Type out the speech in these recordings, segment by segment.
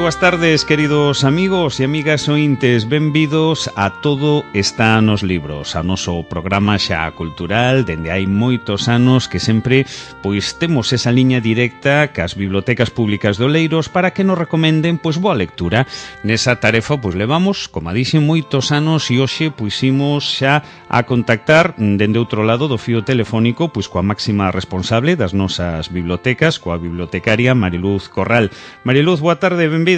boas tardes, queridos amigos e amigas ointes. Benvidos a Todo está nos libros, a noso programa xa cultural dende hai moitos anos que sempre pois temos esa liña directa cas bibliotecas públicas de Oleiros para que nos recomenden pois boa lectura. Nesa tarefa pois levamos, como dixen, moitos anos e hoxe pois imos xa a contactar dende outro lado do fío telefónico pois coa máxima responsable das nosas bibliotecas, coa bibliotecaria Mariluz Corral. Mariluz, boa tarde, benvida.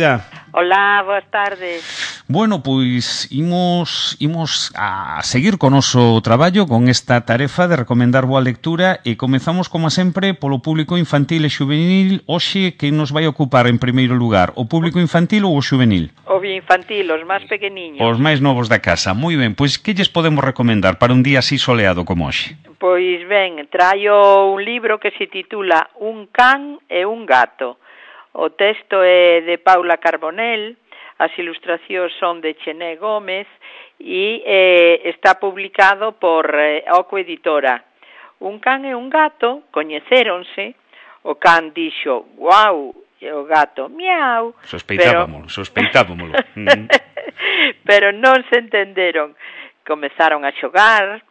Hola, boas tardes. Bueno, pois imos a seguir con o noso traballo con esta tarefa de recomendar boa lectura e comezamos, como sempre, polo público infantil e xuvenil. Hoxe, que nos vai ocupar en primeiro lugar, o público infantil ou o xuvenil? O infantil, os máis pequeniños. Os máis novos da casa. Moi ben, pois que lles podemos recomendar para un día así soleado como hoxe? Pois ben, traio un libro que se titula Un can e un gato. O texto é de Paula Carbonell, as ilustracións son de Chené Gómez e está publicado por Oco Editora. Un can e un gato coñecéronse, o can dixo guau e o gato miau. Sospeitábamolo. Pero non se entenderon. Comezaron a xogar,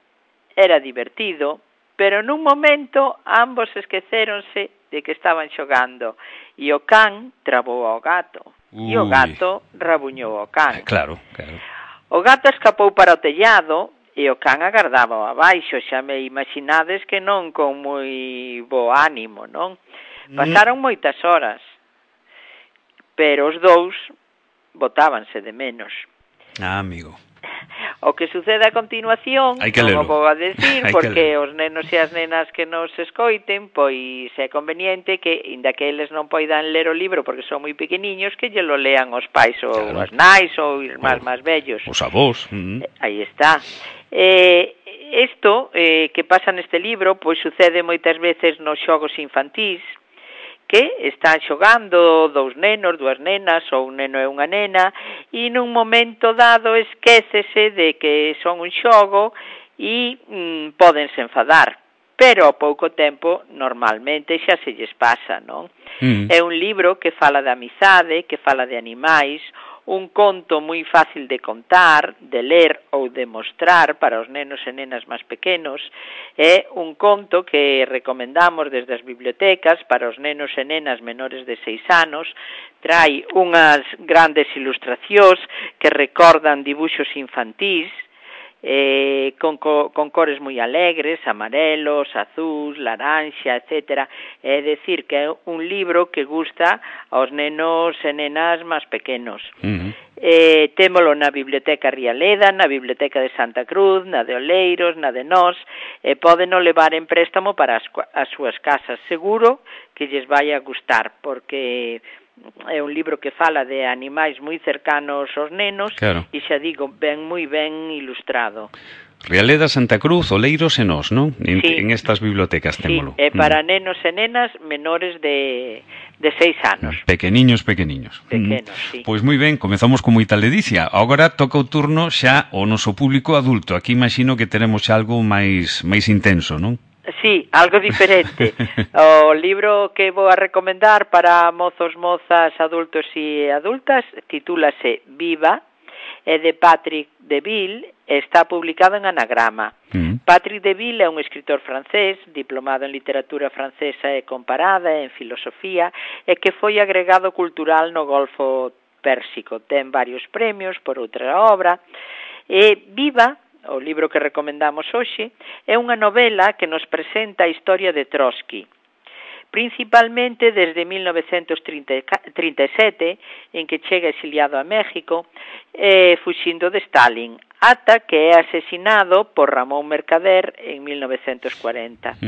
era divertido, pero nun momento ambos esquecéronse de que estaban xogando e o can trabou ao gato. E o gato rabuñou ao can. Claro. O gato escapou para o tellado e o can agardaba abaixo. Xa me imaginades que non con moi bo ánimo, non? Pasaron moitas horas, pero os dous botábanse de menos. Amigo. O que sucede a continuación non o vou a decir porque os nenos e as nenas que nos escoiten, pois é conveniente que, inda que eles non poidan ler o libro porque son moi pequeniños, que lle lo lean os pais ou as nais ou irmáns máis vellos. Os avós. Aí está. Isto que pasa neste libro, pois sucede moitas veces nos xogos infantís, que están xogando dous nenos, dúas nenas ou un neno e unha nena e nun momento dado esquécese de que son un xogo e pódense enfadar, pero ao pouco tempo normalmente xa se lles pasa, non? É un libro que fala de amizade, que fala de animais, un conto moi fácil de contar, de ler ou de mostrar para os nenos e nenas máis pequenos. É un conto que recomendamos desde as bibliotecas para os nenos e nenas menores de 6 anos. Trai unhas grandes ilustracións que recordan dibuxos infantís, con cores moi alegres, amarelos, azuis, laranxa, etc. É dicir que é un libro que gusta aos nenos e nenas máis pequenos. Témolo na Biblioteca Rialeda, na Biblioteca de Santa Cruz, na de Oleiros, na de Nós, e pódeno levar en préstamo para as súas casas. Seguro que lles vai a gustar, porque é un libro que fala de animais moi cercanos aos nenos, e xa digo, moi ben ilustrado. Rialeda, Santa Cruz, Oleiros e Nós, non? En estas bibliotecas témolo. É para nenos e nenas menores de 6 anos. Pequeniños. Pequenos, sí. Pois moi ben, comezamos con moita ledicia. Agora toca o turno xa ao noso público adulto. Aquí imagino que teremos xa algo máis intenso, non? Sí, algo diferente. O libro que vou a recomendar para mozos, mozas, adultos e adultas titúlase Viva, é de Patrick Deville, está publicado en Anagrama. Patrick Deville é un escritor francés, diplomado en literatura francesa e comparada, en filosofía, e que foi agregado cultural no Golfo Pérsico. Ten varios premios por outra obra. Viva, o libro que recomendamos hoxe, é unha novela que nos presenta a historia de Trotsky, principalmente desde 1937, en que chega exiliado a México, fuxindo de Stalin, ata que é asesinado por Ramón Mercader en 1940.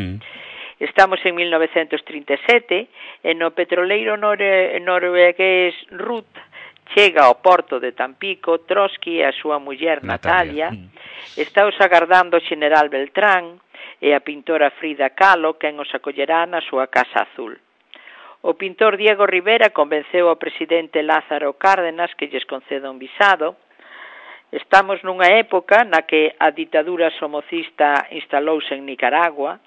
Estamos en 1937 e no petroleiro noruegués Ruth chega ao porto de Tampico Trotsky e a súa muller Natalia. Está os agardando o xeneral Beltrán e a pintora Frida Kahlo, quen os acollerá na súa casa azul. O pintor Diego Rivera convenceu ao presidente Lázaro Cárdenas que lles conceda un visado. Estamos nunha época na que a ditadura somocista instalouse en Nicaragua,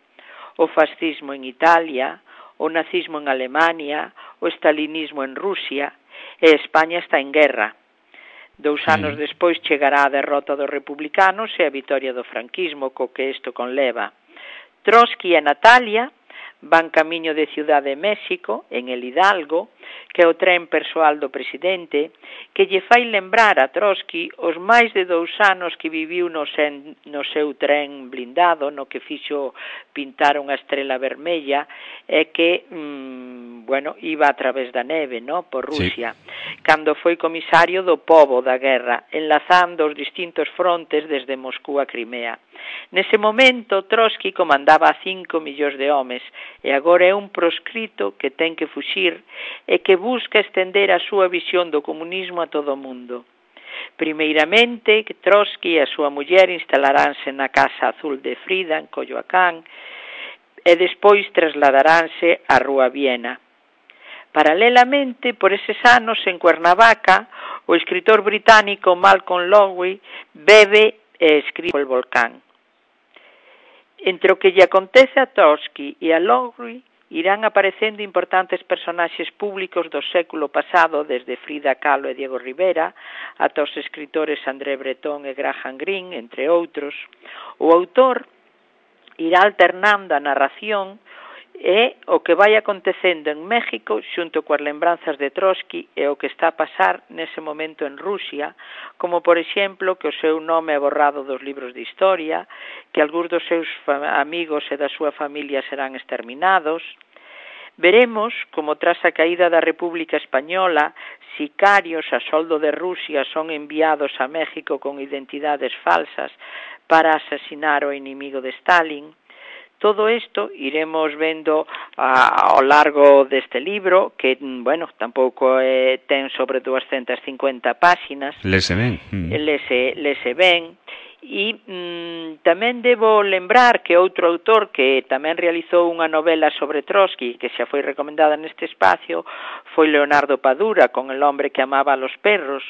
o fascismo en Italia, o nazismo en Alemania, o estalinismo en Rusia, e España está en guerra. 2 anos despois chegará a derrota dos republicanos e a vitoria do franquismo, co que isto conleva. Trotsky e Natalia van camiño de Ciudad de México, en el Hidalgo, que é o tren persoal do presidente, que lle fai lembrar a Trotsky os máis de 2 anos que viviu no seu tren blindado, no que fixo pintar unha estrela vermella, e que, iba a través da neve, por Rusia, cando foi comisario do pobo da guerra, enlazando os distintos frontes desde Moscú a Crimea. Nese momento, Trotsky comandaba 5 millóns de homes, e agora é un proscrito que ten que fuxir e que busca estender a súa visión do comunismo a todo o mundo. Primeiramente, Trotsky e a súa muller instalaránse na Casa Azul de Frida, en Coyoacán, e despois trasladaránse á Rúa Viena. Paralelamente, por eses anos, en Cuernavaca, o escritor británico Malcolm Lowry bebe e escribe o volcán. Entre o que lle acontece a Trotsky e a Lowry, irán aparecendo importantes personaxes públicos do século pasado, desde Frida Kahlo e Diego Rivera, ata os escritores André Breton e Graham Greene, entre outros. O autor irá alternando a narración e o que vai acontecendo en México xunto coas lembranzas de Trotsky e o que está a pasar nese momento en Rusia, como por exemplo que o seu nome é borrado dos libros de historia, que algúns dos seus amigos e da súa familia serán exterminados. Veremos como tras a caída da República Española, sicarios a soldo de Rusia son enviados a México con identidades falsas para asasinar o inimigo de Stalin. Todo isto iremos vendo ao largo deste libro, que, tampouco ten sobre 250 páxinas. Lese ben. Lese ben. E tamén debo lembrar que outro autor que tamén realizou unha novela sobre Trotsky, que xa foi recomendada neste espacio, foi Leonardo Padura, con El hombre que amaba a los perros,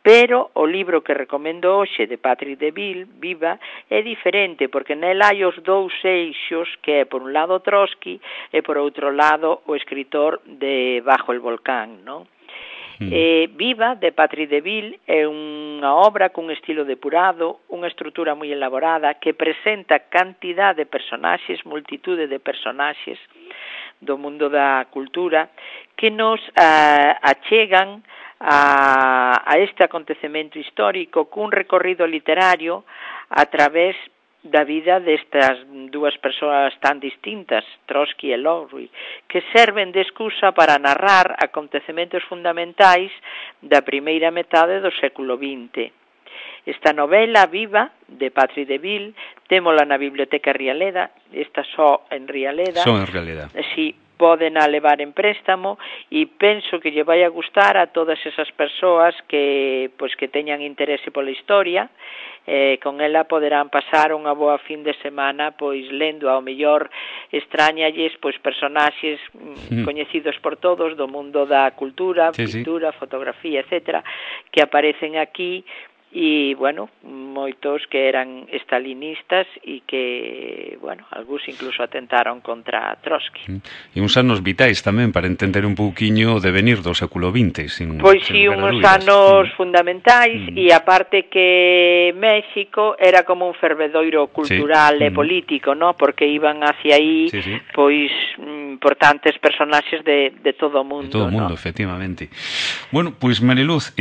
pero o libro que recomendo hoxe de Patrick DeVille, Viva, é diferente, porque nel hai os 2 eixos, que é por un lado Trotsky e por outro lado o escritor de Bajo el volcán, non? Viva, de Patrick DeVille, é unha obra cun estilo depurado, unha estrutura moi elaborada, que presenta cantidad de personaxes, multitude de personaxes do mundo da cultura, que nos achegan a este acontecemento histórico cun recorrido literario a través da vida destas 2 persoas tan distintas, Trotsky e Lowry, que serven de excusa para narrar acontecementos fundamentais da primeira metade do século XX. Esta novela Viva, de Patrick DeVille, témola na Biblioteca Rialeda, esta só en Rialeda. Só en Rialeda. Sí, poden a levar en préstamo e penso que lle vai a gustar a todas esas persoas que teñan interese pola historia. Con ela poderán pasar unha boa fin de semana lendo, ao mellor extrañalles personaxes coñecidos por todos do mundo da cultura, pintura, fotografía, etcétera, que aparecen aquí. E, moitos que eran estalinistas e que, algúns incluso atentaron contra Trotsky. E uns anos vitais tamén para entender un pouquiño o devenir do século XX. Pois sí, uns anos fundamentais, e aparte que México era como un fervedoiro cultural e político, porque iban hacia aí, importantes personaxes de todo o mundo. De todo o mundo, efectivamente. Bueno, pois Mariluz,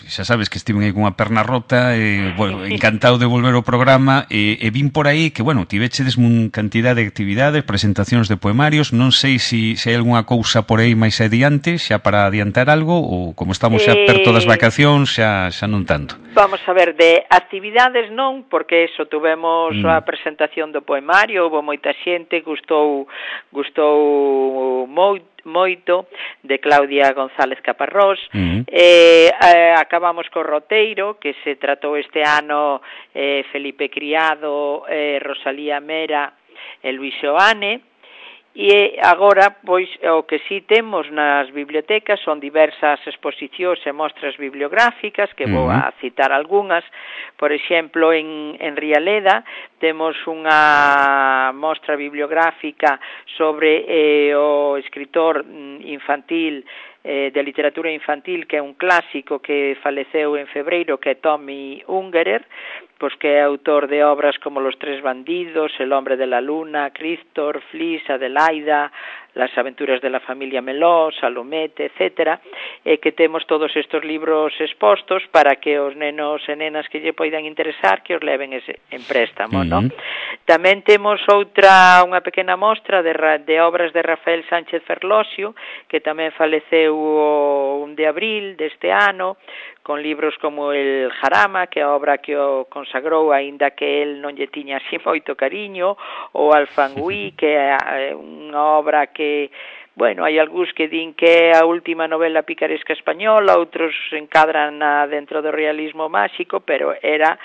xa sabes que estiven aí cunha perna rota, encantado de volver ao programa, e vin por aí que, tivechedes unha cantidad de actividades, presentacións de poemarios, non sei se hai algunha cousa por aí máis adiante, xa para adiantar algo, ou como estamos xa perto das vacacións, xa non tanto. Vamos a ver, de actividades non, porque eso, tuvemos a presentación do poemario, houve moita xente, gustou moito, de Claudia González Caparrós. Acabamos co roteiro, que se tratou este ano Felipe Criado, Rosalía Mera e Luis Oane. E agora, o que sí temos nas bibliotecas son diversas exposicións e mostras bibliográficas, que vou a citar algunhas. Por exemplo, en Rialeda temos unha mostra bibliográfica sobre o escritor infantil de literatura infantil, que é un clásico que faleceu en febreiro, que é Tommy Ungerer, pois que é autor de obras como Los tres bandidos, El hombre de la luna, Christor, Flis, Adelaida, Las aventuras de la familia Meló, Salomete, etcétera, e que temos todos estes libros expostos para que os nenos e nenas que lle poidan interesar que os leven en préstamo, non? Tamén temos unha pequena mostra de obras de Rafael Sánchez Ferlosio, que tamén faleceu o 1 de abril deste ano, con libros como El Jarama, que é a obra que o consagrou, aínda que el non lle tiña así moito cariño, ou Alfangui, que é unha obra que, bueno, hai algúns que din que é a última novela picaresca española, outros encadran dentro do realismo máxico, pero era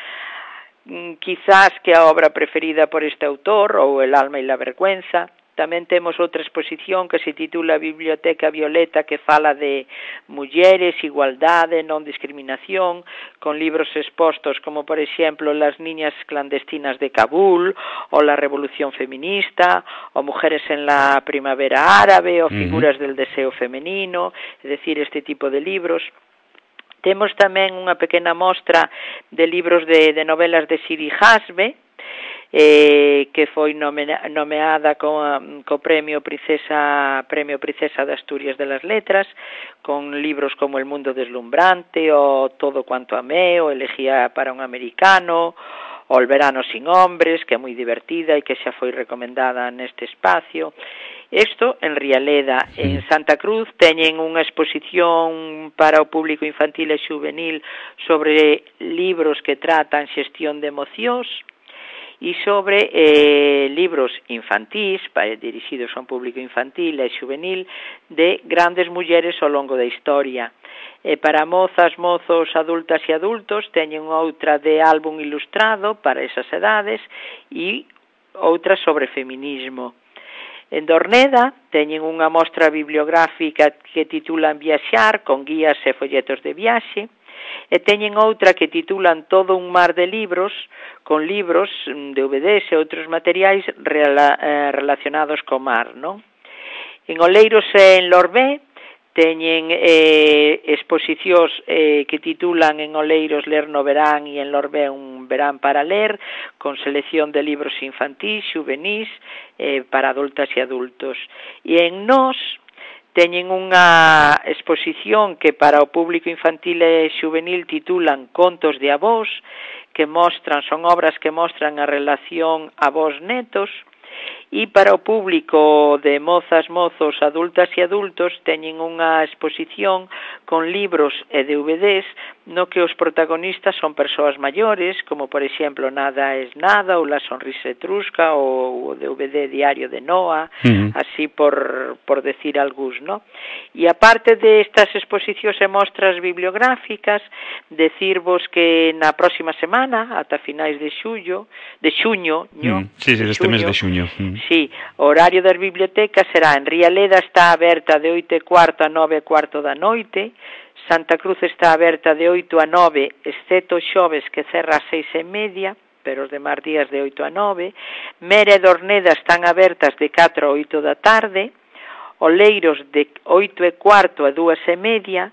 quizás que a obra preferida por este autor, ou El alma e la vergüenza. Tamén temos outra exposición que se titula Biblioteca Violeta, que fala de mulleres, igualdade, non discriminación, con libros expostos como, por exemplo, Las niñas clandestinas de Kabul, ou La revolución feminista, ou Mujeres en la primavera árabe, ou Figuras del deseo femenino, é dicir, este tipo de libros. Temos tamén unha pequena mostra de libros de novelas de Siri Hasbe, que foi nomeada co Premio Princesa de Asturias de las Letras, con libros como El mundo deslumbrante, o Todo cuanto amé, o Elegía para un americano, o El verano sin hombres, que é moi divertida e que xa foi recomendada neste espacio. Isto en Rialeda. En Santa Cruz teñen unha exposición para o público infantil e juvenil sobre libros que tratan xestión de emocións, e sobre libros infantís, dirixidos a un público infantil e juvenil, de grandes mulleres ao longo da historia. Para mozas, mozos, adultas e adultos teñen outra de álbum ilustrado para esas edades e outra sobre feminismo. En Dorneda teñen unha mostra bibliográfica que titulan Viaxar, con guías e folletos de viaxe, e teñen outra que titulan Todo un mar de libros, con libros, DVDs e outros materiais relacionados co mar, non? En Oleiros e en Lorbé teñen exposicións que titulan en Oleiros Ler no verán e en Lorbé Un verán para ler, con selección de libros infantís, juvenís, para adultas e adultos. E en Nós teñen unha exposición que para o público infantil e juvenil titulan Contos de avós, que son obras que mostran a relación avós-netos, e para o público de mozas, mozos, adultas e adultos teñen unha exposición con libros e DVDs no que os protagonistas son persoas maiores, como por exemplo Nada es nada, ou La sonrisa etrusca, ou o DVD Diario de Noa, así por decir algúns, ¿no? E aparte de estas exposicións e mostras bibliográficas, decirvos que na próxima semana, ata finais de xuño, sí, deste mes de xuño. Sí, o horario das bibliotecas será en Rialeda está aberta de 8:15 a 9:15 da noite, Santa Cruz está aberta de 8 a 9, excepto xoves que cerra a 6:30, pero os demás días de 8 a 9, Mera e Dorneda están abertas de 4 a 8 da tarde, Oleiros de 8:15 a 2:30,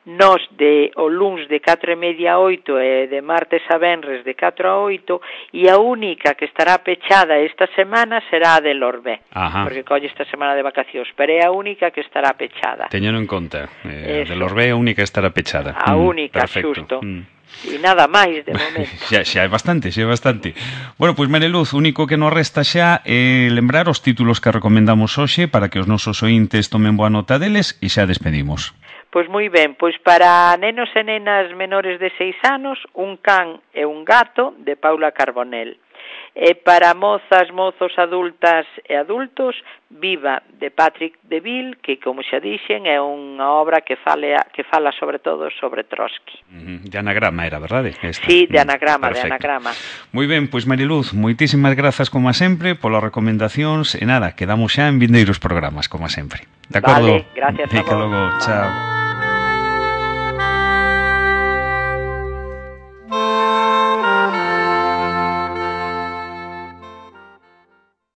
Nós de o luns de 4:30 a 8 e de martes a venres de 4 a 8, e a única que estará pechada esta semana será a de Lorbé, porque colle esta semana de vacacións, pero é a única que estará pechada. Teñeno en conta, de Lorbé é a única que estará pechada. A única, xusto. E nada máis de momento. xa é bastante. Bueno, pois Mariluz, o único que nos resta xa é lembrar os títulos que recomendamos hoxe para que os nosos ointes tomen boa nota deles e xa despedimos. Pois moi ben, pois para nenos e nenas menores de 6 anos, Un can e un gato, de Paula Carbonell. E para mozas, mozos, adultas e adultos, Viva, de Patrick Deville, que, como xa dixen, é unha obra que fala sobre todo sobre Trotsky. De anagrama era, verdade? Sí, de anagrama, perfecto. De anagrama. Moi ben, pois Mariluz, moitísimas grazas como sempre polas recomendacións e nada, quedamos xa en vindeiros programas, como sempre. De acordo? Vale, gracias a vos. Logo, chao.